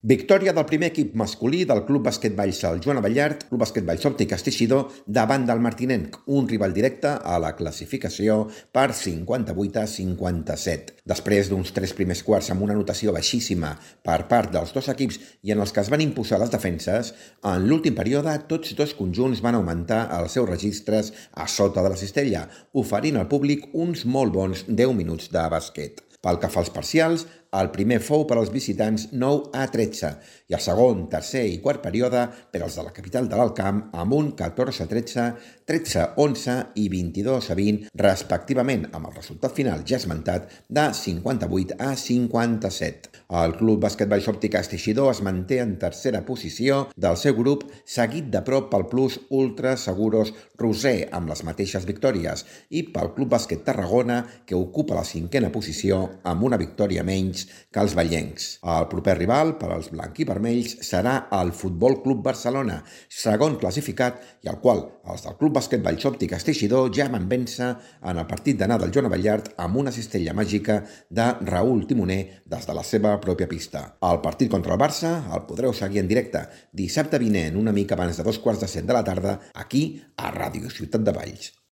Victòria del primer equip masculí del Club Bàsquet Vallsal Joan Abellart, Club Bàsquet Vallsopte i Castellcidó davant del Martinenc, un rival directe a la classificació per 58-57. Després d'uns 3 primers quarts amb una anotació baixíssima per part dels dos equips i en els que es van imposar les defenses, en l'últim període tots dos conjunts van augmentar els seus registres a sota de la cistella, oferint al públic uns molt bons 10 minuts de bàsquet. Pel que fa als parcials, el primer fou per als visitants 9-13 i el segon, tercer i quart període per als de la capital de l'Alt Camp amb un 14-13, 13-11 i 22-20 respectivament, amb el resultat final ja esmentat de 58-57. El Club Bàsquet Vallsopte i Castellcidó es manté en tercera posició del seu grup, seguit de prop pel Plus Ultra Seguros Roser amb les mateixes victòries i pel Club Bàsquet Tarragona, que ocupa la 5a posició amb una victòria menys que els vallencs. El proper rival per als blanc-i-vermells serà el Futbol Club Barcelona, segon classificat, i al qual els del Club Bàsquet Vallsopte i Castellcidó ja van vèncer en el partit d'anar del Joan Abellart amb una cistella màgica de Raül Timoner des de la seva pròpia pista. El partit contra el Barça el podreu seguir en directe dissabte vinent, una mica abans de 2:15 de la tarda, aquí a Ràdio Ciutat de Valls.